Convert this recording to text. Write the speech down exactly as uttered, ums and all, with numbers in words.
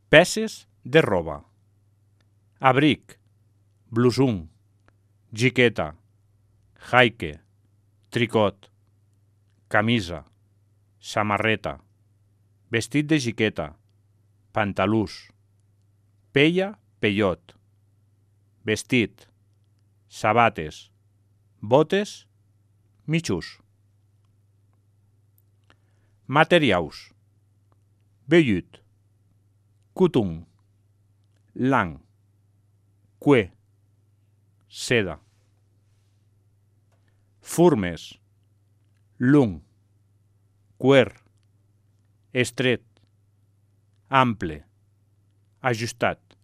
Peces de roba: abric, blusung, jiqueta, jaique, tricot, camisa, samarreta, vestit de jiqueta, pantalús, pella, pellot, vestit, sabates, botes, mitjús. Materiaus: vellut, cotó, lana, cuir, seda. Formes: long, cuer, estret, ample, ajustat.